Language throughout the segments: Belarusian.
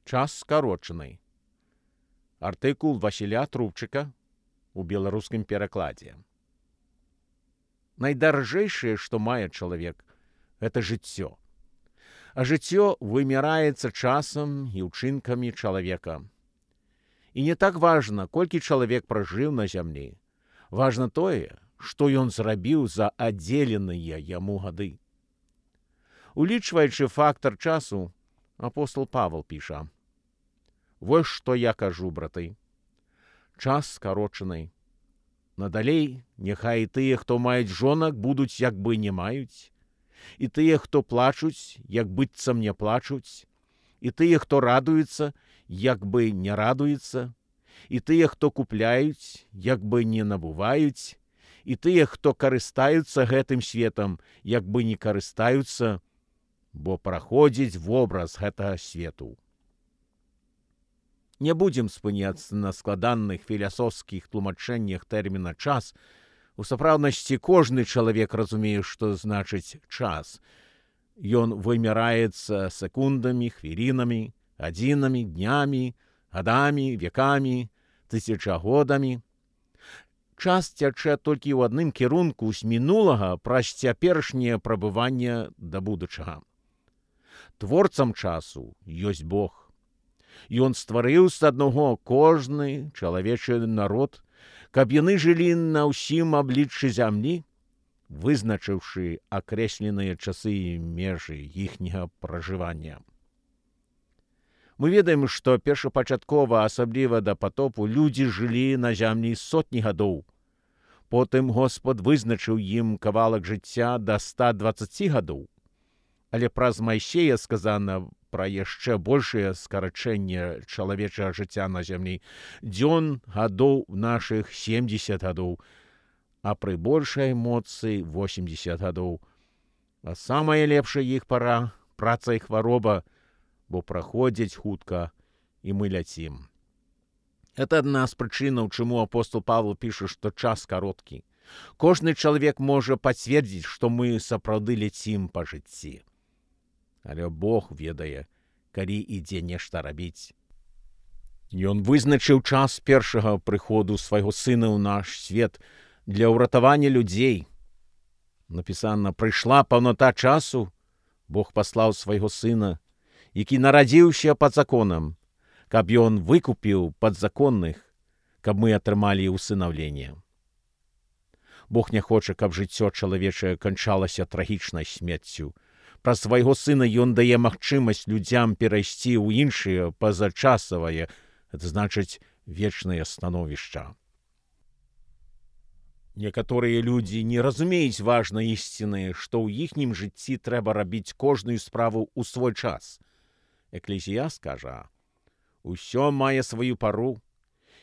Час скарочаны. Артыкул Васіля Трубчыка у беларускім перакладзе. Найдаржэйшае, што мае чалавек, гэта жыццё. А жыццё вымяраецца часам і ўчынкамі чалавека. І не так важна, колькі чалавек пражыў на зямлі. Важна тое, што ён зрабіў за адзеленыя яму гады. Улічваючы фактар часу, апостол Павел піша: «Вось што я кажу, браты. Час скарочаны. Надалей, няхай і тыя, хто маюць жонак, будуць як бы не маюць, і тыя, хто плачуць, як быццам не плачуць, і тыя, хто радуецца, як бы не радуецца, і тыя, хто купляюць, як бы не набываюць, і тыя, хто карыстаюцца гэтым светам, як бы не карыстаюцца, бо праходзіць вобраз гэтага свету». Не будзем спыняцца на складаных філасофскіх тлумачэннях тэрміна «час». У сапраўднасці кожны чалавек разумее, што значыць час. Ён вымяраецца секундамі, хвілінамі, гадзінамі, днямі, гадамі, векамі, тысячагодамі. Час цячэ толькі ў адным кірунку з мінулага праз цяперашняе прабыванне да будучага. Творцам часу ёсць Бог. Ён стварыў з аднаго кожны чалавечы народ, каб яны жылі на ўсім абліччы зямлі, вызначыўшы акрэсленыя часы і межы іхняга пражывання. Мы ведаем, што першапачаткова, асабліва да патопу, людзі жылі на зямлі сотні гадоў. Потым Господ вызначыў ім кавалак жыцця да 120 гадоў. Але праз Майсея сказана пра яшчэ большае скарачэнне чалавечага жыцця на зямлі. Дзён гадоў нашых 70 гадоў, а пры большай моцы 80 гадоў. А самая лепшая іх пара — праца і хвароба, бо праходзяць хутка, і мы ляцім. Это адна з прычынаў, чаму апостол Павел піша, што час кароткі. Кожны чалавек можа пацвердзіць, што мы сапраўды ляцім па жыцці. Але Бог ведае, калі ідзе нешта рабіць. Ён вызначыў час першага прыходу свайго сына ў наш свет для ўратавання людзей. Напісана: «Прыйшла паўната часу, Бог паслаў свайго сына, які нарадзіўся пад законам, каб ён выкупіў падзаконных, каб мы атрымалі усынаўленне». Бог не хоча, каб жыццё чалавечае канчалася трагічнай смерцю. Праз свайго сына ён дае магчымасць людзям перайсці ў іншыя пазачасавае, гэта значыць вечнае становішча. Некаторыя людзі не разумеюць важнай ісціны, што ў іхнім жыцці трэба рабіць кожную справу ў свой час. Эклезіяст кажа: «Усё мае сваю пару,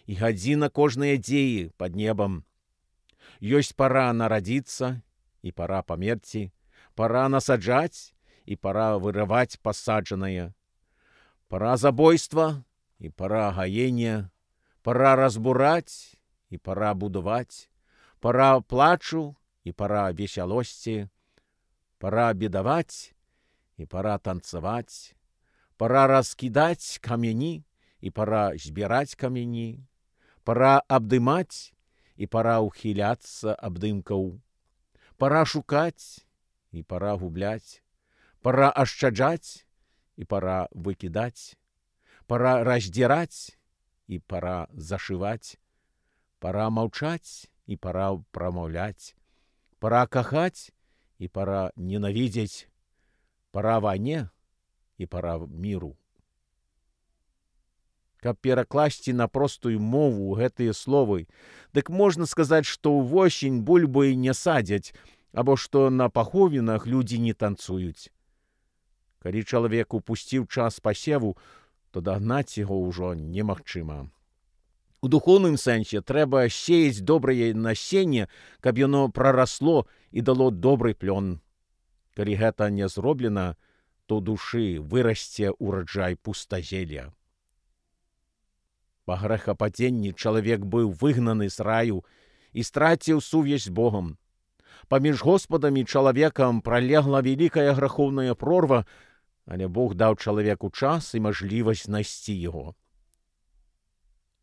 і гадзіна кожнае дзеі пад небам. Ёсць пара нарадзіцца і пара памерці, пара насаджаць і пара вырываць пасаджанае, пара забойства і пара гаення, пара разбураць і пара будаваць, пара плачу і пара весялосці, пара бедаваць і пара танцаваць, пара раскідаць камяні і пара збіраць камяні, пара абдымаць і пара ўхіляцца абдымкаў, пара шукаць і пара губляць, пара ашчаджаць і пара выкідаць, пара раздзіраць і пара зашываць, пара маўчаць і пара прамаўляць, пара кахаць і пара ненавідзець, пара вайне і пара міру». Каб перакласці на простую мову гэтыя словы, дык можна сказаць, што ўвосень бульбы не садзяць, або што на паховінах людзі не танцуюць. Калі чалавек упусціў час пасеву, то дагнаць яго ўжо немагчыма. У духоўным сэнсе трэба сеяць добрае насенне, каб яно прарасло і дало добры плён. Калі гэта не зроблена, то ў душы вырасце ураджай пустазелля. Па грэхападзенні чалавек быў выгнаны з раю і страціў сувязь з Богом. Паміж Господам і чалавекам пралегла вялікая грахоўная прорва, але Бог даў чалавеку час і мажлівасць знайсці яго.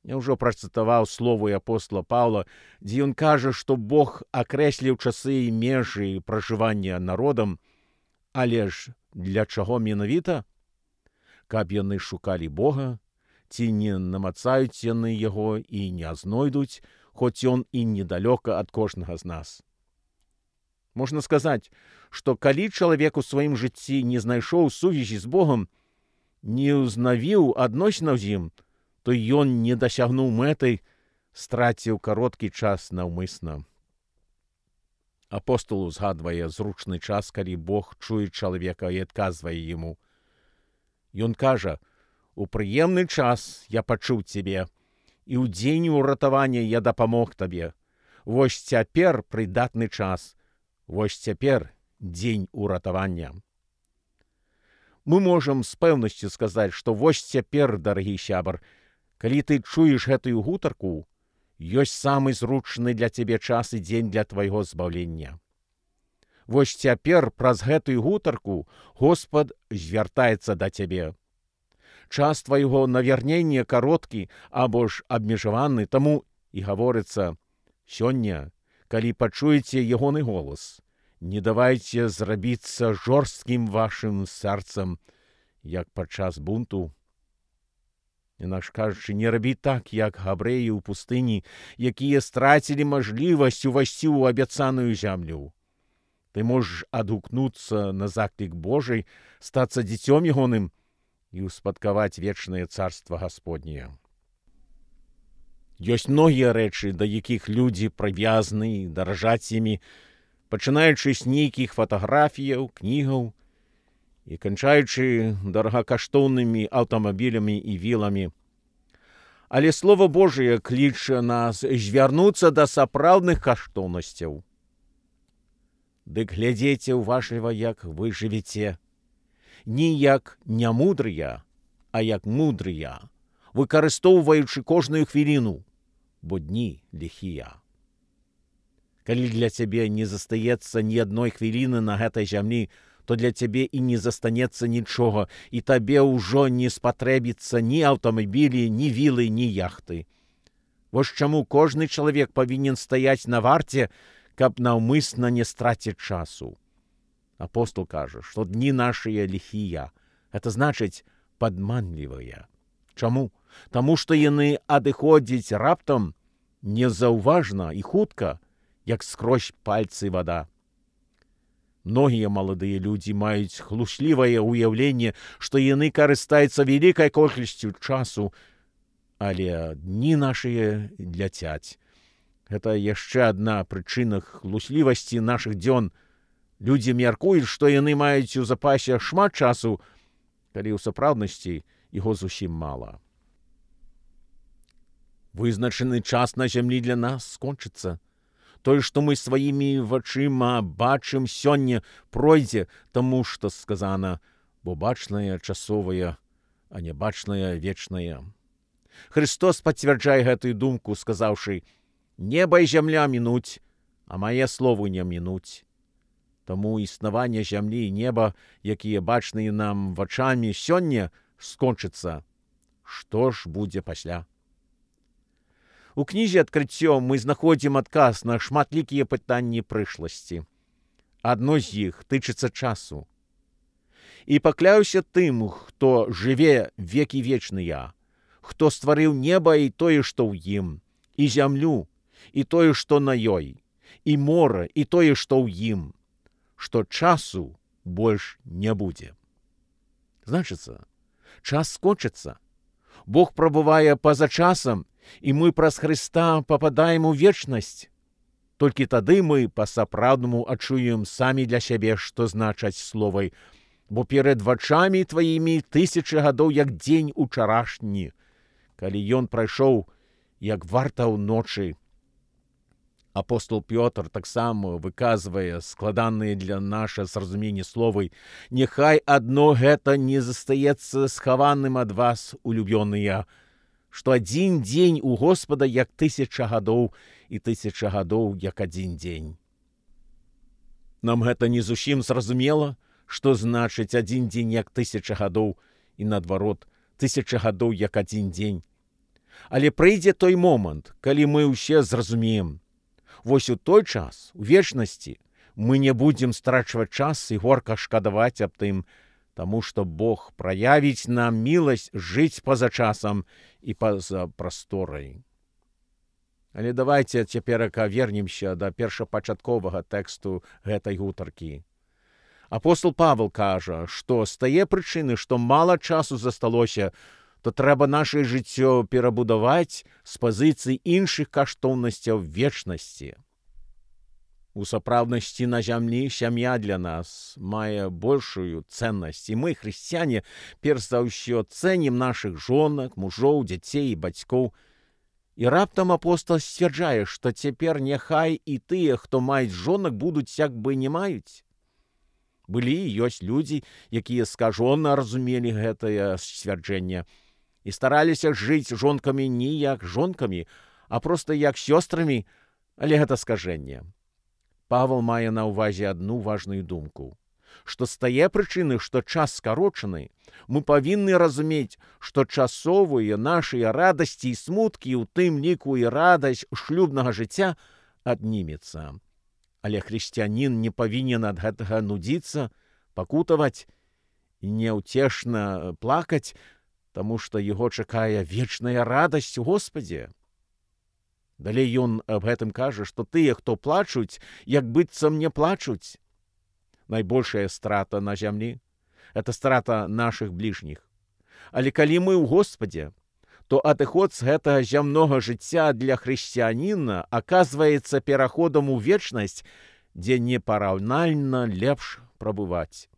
Я ўжо працытаваў словы апостола Паўла, дзе ён кажа, што Бог акрэсліў часы і межы пражывання народам, але ж для чаго менавіта? Каб яны шукалі Бога, ці не намацаюць яны яго і не знойдуць, хоць ён і недалёка ад кожнага з нас. Можна сказаць, што калі чалавек у сваім жыцці не знайшоў сувязі з Богом, не ўзнавіў адносінаў з ім, то ён не дасягнуў мэты, страціў кароткі час наўмысна. Апостол узгадвае зручны час, калі Бог чуе чалавека і адказвае яму. Ён кажа: «У прыемны час я пачуў цябе, і ў дзень уратавання я дапамог табе. Вось цяпер прыдатны час, вось цяпер дзень уратавання». Мы можам з пэўнасцю сказаць, што вось цяпер, дарагі сябар, калі ты чуеш гэтую гутарку, ёсць самы зручны для цябе час і дзень для твайго збаўлення. Вось цяпер праз гэтую гутарку Господ звяртаецца да цябе. Час твайго навярнення кароткі або ж абмежаваны, таму і гаворыцца: сёння, калі пачуеце ягоны голас, не давайце зрабіцца жорсткім вашым сэрцам, як падчас бунту. Інакш кажучы, не рабі так, як габрэі ў пустыні, якія страцілі мажлівасць увайсці ў абяцаную зямлю. Ты можаш адгукнуцца на заклік Божий, стацца дзіцём ягоным і ўспадкаваць вечнае царства Гасподняе. Ёсць многія рэчы, да якіх людзі прывязаны, даражаць імі, пачынаючы з нейкіх фатаграфіяў, кнігаў і канчаючы дарагакаштоўнымі аўтамабілямі і віламі. Але Слова Божие кліча нас звярнуцца да сапраўдных каштоўнасцяў. Дык глядзеце ўважліва, як вы жывеце. Не як нямудрыя, а як мудрыя, выкарыстоўваючы кожную хвіліну, бо дні ліхія. Калі для цябе не застаецца ні адной хвіліны на гэтай зямлі, то для цябе і не застанецца нічога, і табе ўжо не спатрэбіцца ні аўтамабілі, ні вілы, ні яхты. Вось чаму кожны чалавек павінен стаяць на варце, каб наўмысна не страціць часу. Апостол кажа, што дні нашыя ліхія, гэта значыць падманлівыя. Чаму? Таму што яны адыходзяць раптам, незаўважна і хутка, як скрозь пальцы вада. Многія маладыя людзі маюць хлуслівае ўяўленне, што яны карыстаюцца вялікай колькасцю часу, але дні нашыя ляцяць. Гэта яшчэ адна прычына хлуслівасці нашых дзён. Людзі мяркуюць, што яны маюць у запасе шмат часу, калі ў сапраўднасці яго зусім мала. Вызначаны час на зямлі для нас скончыцца. Тое, што мы сваімі вачыма бачым сёння, пройдзе, таму што сказана: бо бачнае часовае, а нябачнае вечнае. Христос пацвярджае гэтую думку, сказаўшы: «Неба і зямля мінуць, а мае словы не мінуць». Таму існаванне зямлі і неба, якія бачныя нам вачамі сёння, скончыцца. Што ж будзе пасля? У кнізе «Адкрыццё» мы знаходзім адказ на шматлікія пытанні прышласці. Адно з іх тычыцца часу. «І пакляюся тым, хто жыве векі вечныя, хто стварыў неба і тое, што ў ім, і зямлю, і тое, што на ёй, і мора, і тое, што ў ім, што часу больш не будзе». Значыцца, час скончыцца. Бог прабывае па-за часам, і мы праз Хрыста пападаем у вечнасць. Толькі тады мы па-сапраўднаму адчуем самі для сябе, што значаць словы: «Бо перад вачамі тваімі тысячы гадоў, як дзень учарашні, калі ён прайшоў, як варта ўночы». Апостол Пётр таксама выказвае складаныя для наша зразуменне словы: «Няхай адно гэта не застаецца схаваным ад вас, улюбёныя, што адзін дзень у Господа як 1000 гадоў, і 1000 гадоў як адзін дзень». Нам гэта не зусім зразумела, што значыць адзін дзень як 1000 гадоў і наадварот, 1000 гадоў як адзін дзень. Але прыйдзе той момант, калі мы ўсе зразумеем. Вось у той час, у вечнасці, мы не будзем страчваць час і горка шкадаваць аб тым, таму што Бог праявіць нам міласць жыць па-за часам і па-за прасторай. Але давайце цяперака вернемся да першапачатковага тэксту гэтай гутаркі. Апостол Павел кажа, што з тае прычыны, што мала часу засталося, то трэба нашае жыццё перабудаваць з пазіцый іншых каштоўнасцяў вечнасці. У сапраўднасці на зямлі сям'я для нас мае большую цэннасць, і мы, хрысціяне, перш за ўсё цэнім нашых жонак, мужоў, дзяцей і бацькоў. І раптам апостол сцвярджае, што цяпер няхай і тыя, хто маюць жонак, будуць як бы не маюць. Былі і ёсць людзі, якія скажона разумелі гэтае сцвярджэнне і стараліся жыць жонкамі не як жонкамі, а проста як сёстрамі, але гэта скажэнне. Павел мае на ўвазе адну важную думку, што з тае прычыны, што час скарочаны, мы павінны разумець, што часовыя нашыя радасці і смуткі, у тым ліку і радасць шлюбнага жыцця, аднімецца. Але хрысціянін не павінен ад гэтага нудзіцца, пакутаваць і няўцешна плакаць, таму што яго чакае вечная радасць у Господзе. Далей ён аб гэтым кажа, што тыя, хто плачуць, як быццам не плачуць. Найбольшая страта на зямлі – это страта нашых бліжніх. Але калі мы ў Господзе, то адыход з гэтага зямнога жыцця для хрысціяніна аказваецца пераходам у вечнасць, дзе непараўнальна лепш прабываць.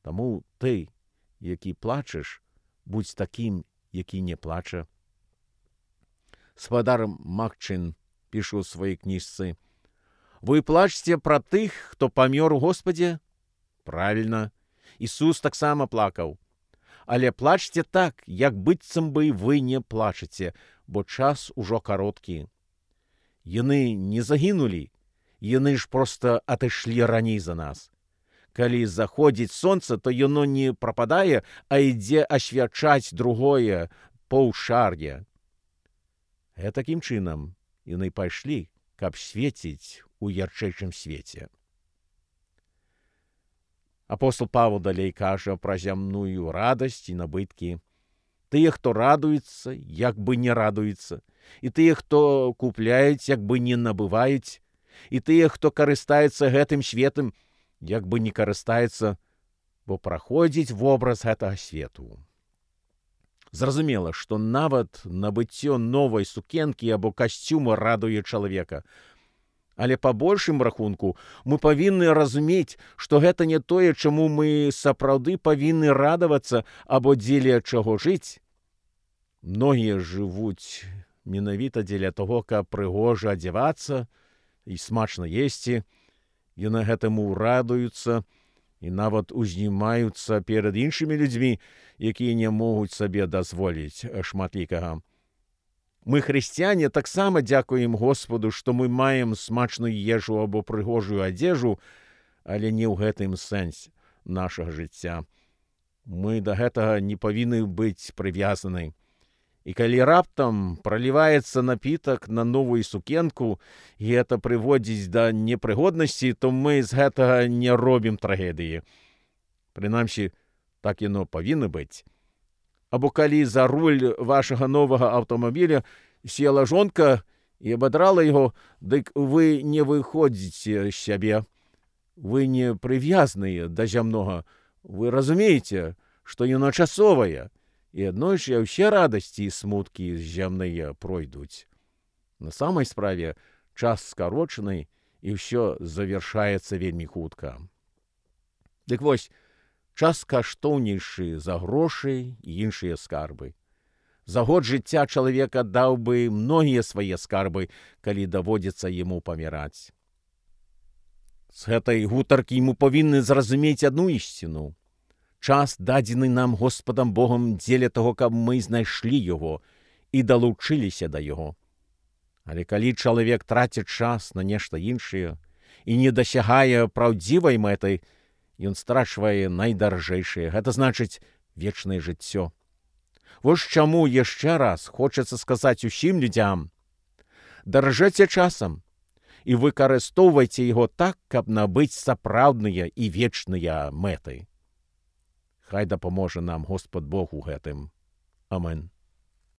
Таму ты, які плачаш, будь такім, які не плача. Спадар Макчин піша ў сваёй кніжцы: «Вы плачце пра тых, хто памёр у Господзе?» Правільна, Ісус таксама плакаў. Але плачце так, як быццам бы вы не плачаце, бо час ужо кароткі. Яны не загінулі, яны ж проста атышлі раней за нас. Калі заходзіць сонца, то яно не прападае, а ідзе асвячаць другое паўшар'е. Такім чынам яны пайшлі, каб свеціць у ярчэйшым свеце. Апостол Павел далей кажа пра зямную радасць і набыткі. Тыя, хто радуецца, як бы не радуецца, і тыя, хто купляюць, як бы не набываюць, і тыя, хто карыстаецца гэтым светам, як бы не карыстаецца, бо праходзіць вобраз гэтага свету. Зразумела, што нават набыццё новай сукенкі або касцюма радуе чалавека. Але па большым рахунку мы павінны разумець, што гэта не тое, чаму мы сапраўды павінны радавацца або дзеля чаго жыць. Многія жывуць менавіта дзеля таго, каб прыгожа адзявацца і смачна есці, і на гэтаму радуюцца і нават узнімаюцца перад іншымі людзьмі, якія не могуць сабе дазволіць шматлікага. Мы, хрысціяне, таксама дзякуем Господу, што мы маем смачную ежу або прыгожую адзежу, але не ў гэтым сэнсе нашага жыцця. Мы да гэтага не павінны быць прывязаны. І калі раптам праліваецца напітак на новую сукенку, і гэта прыводзіць да непрыгоднасці, то мы з гэтага не робім трагедыі. Прынамсі, так яно павінна быць. Або калі за руль вашага новага аўтамабіля села жонка і абадрала яго, дык вы не выходзіце з сябе. Вы не прывязныя да зямнога. Вы разумееце, што яно часовае, і аднойчы ўсе радасці і смуткі зямныя пройдуць. На самай справе час скарочаны, і ўсё завяршаецца вельмі хутка. Дык вось, час каштоўнейшы за грошы і іншыя скарбы. За год жыцця чалавек аддаў бы многія свае скарбы, калі даводзіцца яму паміраць. З гэтай гутаркі мы павінны зразумець адну ісціну. Час дадзены нам Господам Богом дзеля таго, каб мы знайшлі яго і далучыліся да яго. Але калі чалавек траціць час на нешта іншае і не дасягае праўдзівай мэтай, ён страчвае найдаржэйшае, гэта значыць вечнае жыццё. Вось чаму яшчэ раз хочацца сказаць усім людзям: даражэце часам і выкарыстоўвайце яго так, каб набыць сапраўдныя і вечныя мэты. Хай дапаможа нам Господ Бог у гэтым. Амен.